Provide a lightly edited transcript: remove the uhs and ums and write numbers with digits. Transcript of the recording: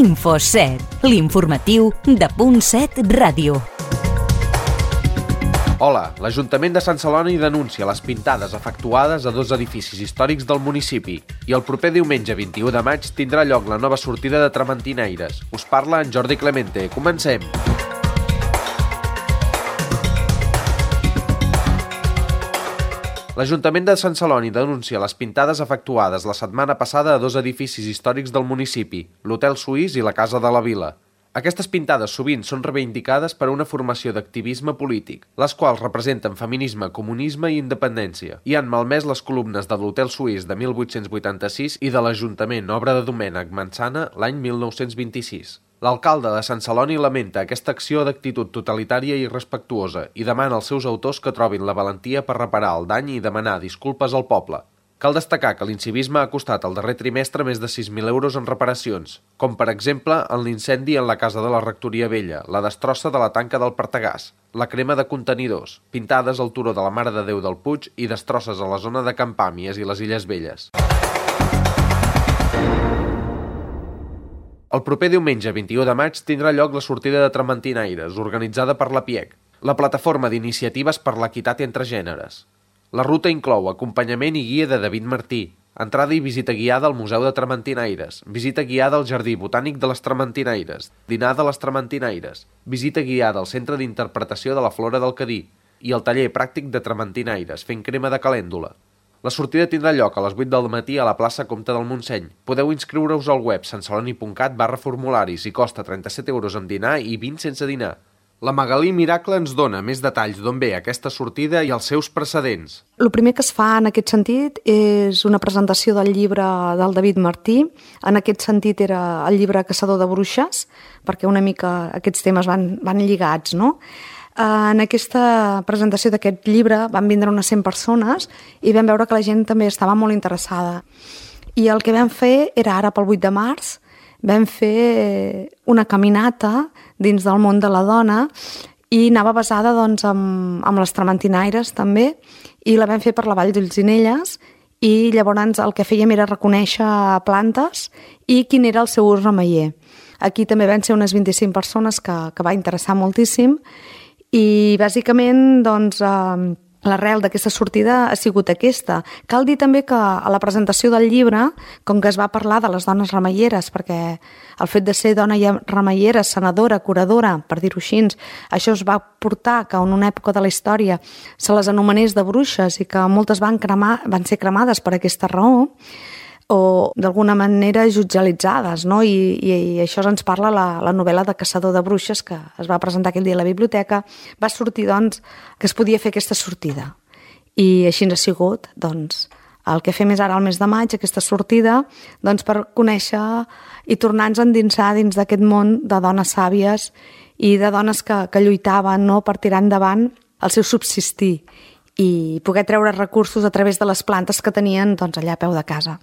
Info7, l'informatiu de .7 Ràdio. Hola, l'Ajuntament de Sant Celoni denuncia les pintades efectuades a 2 edificis històrics del municipi i el proper diumenge 21 de maig tindrà lloc la nova sortida de Trementinaires. Us parla en Jordi Clemente. Comencem! L'Ajuntament de Sant Celoni denuncia les pintades efectuades la setmana passada a 2 edificis històrics del municipi, l'Hotel Suís i la Casa de la Vila. Aquestes pintades sovint són reivindicades per una formació d'activisme polític, les quals representen feminisme, comunisme i independència, i han malmès les columnes de l'Hotel Suís de 1886 i de l'Ajuntament, obra de Domènec Mansana, l'any 1926. L'alcalde de Sant Celoni lamenta aquesta acció d'actitud totalitària i irrespectuosa i demana als seus autors que trobin la valentia per reparar el dany i demanar disculpes al poble. Cal destacar que l'incivisme ha costat el darrer trimestre més de 6.000 euros en reparacions, com per exemple en l'incendi en la casa de la Rectoria Vella, la destrossa de la tanca del Partagàs, la crema de contenidors, pintades al turó de la Mare de Déu del Puig i destrosses a la zona de Can Pàmies i les Illes Velles. El proper diumenge 21 de maig tindrà lloc la sortida de Trementinaires, organitzada per la PIEC, la plataforma d'iniciatives per l'equitat entre gèneres. La ruta inclou acompanyament i guia de David Martí, entrada i visita guiada al Museu de Trementinaires, visita guiada al Jardí Botànic de les Trementinaires, dinar de les Trementinaires, visita guiada al Centre d'Interpretació de la Flora del Cadí i el taller pràctic de Trementinaires, fent crema de calèndula. La sortida tindrà lloc a les 8 del matí a la plaça Comte del Montseny. Podeu inscriure-us al web santceloni.cat/formularis i costa 37 euros amb dinar i 20 sense dinar. La Magalí Miracle ens dona més detalls d'on ve aquesta sortida i els seus precedents. El primer que es fa en aquest sentit és una presentació del llibre del David Martí. En aquest sentit era el llibre Caçador de Bruixes, perquè una mica aquests temes van lligats, no? En aquesta presentació d'aquest llibre van vindre unes 100 persones i vam veure que la gent també estava molt interessada. I el que vam fer era ara pel 8 de març, vam fer una caminata dins del món de la dona i anava basada doncs, amb les trementinaires també i la vam fer per la Vall d'Olzinelles i llavors el que fèiem era reconèixer plantes i quin era el seu ús remeier. Aquí també van ser unes 25 persones que va interessar moltíssim i bàsicament doncs, l'arrel d'aquesta sortida ha sigut aquesta. Cal dir també que a la presentació del llibre, com que es va parlar de les dones remeieres, perquè el fet de ser dona remeiera, sanadora, curadora, per dir-ho així, això es va portar que en una època de la història se les anomenés de bruixes i que moltes van ser cremades per aquesta raó, o d'alguna manera jutjalitzades, no? I això ens parla la novel·la de Caçador de Bruixes que es va presentar aquell dia a la biblioteca. Va sortir doncs, que es podia fer aquesta sortida i així ens ha sigut doncs, el que fem és ara al mes de maig, aquesta sortida doncs, per conèixer i tornar-nos a endinsar dins d'aquest món de dones sàvies i de dones que lluitaven, no? Per tirar endavant el seu subsistir i poder treure recursos a través de les plantes que tenien doncs, allà a peu de casa.